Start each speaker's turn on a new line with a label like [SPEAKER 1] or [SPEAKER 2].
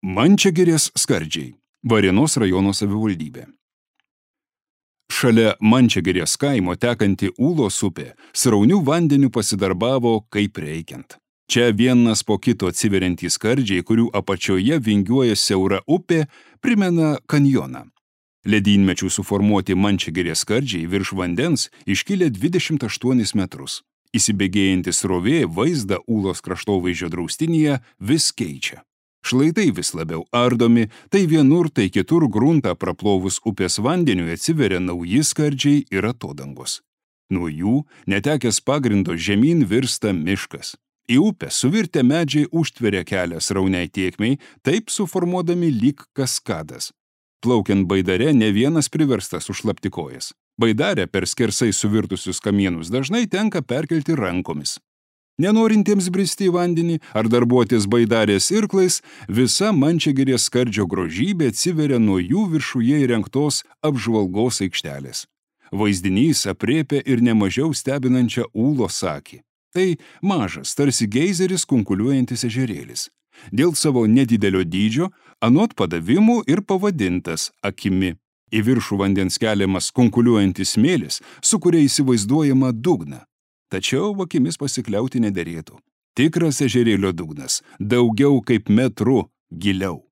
[SPEAKER 1] Mančiagirės skardžiai. Varėnos rajono savivaldybė. Šalia Mančiagirės kaimo tekanti Ūlos upė sraunių vandenių pasidarbavo kaip reikiant. Čia vienas po kito atsiveriantys skardžiai, kurių apačioje vingiuoja siaura upė, primena kanjoną. Ledynmečių suformuoti Mančiagirės skardžiai virš vandens iškilę 28 metrus. Įsibėgėjantis srovė vaizdą Ūlos kraštovaizdžio draustinyje vis keičia. Šlaitai vis labiau ardomi, tai vienur, tai kitur gruntą praplovus upės vandeniui atsiveria nauji skardžiai ir atodangos. Nuo jų, netekęs pagrindo, žemyn virsta miškas. Į upę suvirtę medžiai užtveria kelią srauniai tėkmei, taip suformuodami lyg kaskadas. Plaukiant baidare, ne vienas priverstas užšlapti kojas. Baidarę per skersai suvirtusius kamienus dažnai tenka perkelti rankomis. Nenorintiems bristi į vandenį ar darbuotis baidarės irklais, visa Mančiagirės skardžio grožybė atsiveria nuo jų viršuje įrengtos apžvalgos aikštelės. Vaizdinys aprėpia ir nemažiau stebinančią Ūlos akį. Tai mažas, tarsi geizeris kunkuliuojantis ežerėlis. Dėl savo nedidelio dydžio, anot padavimų ir pavadintas akimi. Į viršų vandens keliamas kunkuliuojantis smėlis, su kuria įsivaizduojama dugną. Tačiau akimis pasikliauti nederėtų. Tikras ežerėlio dugnas, daugiau kaip metru giliau.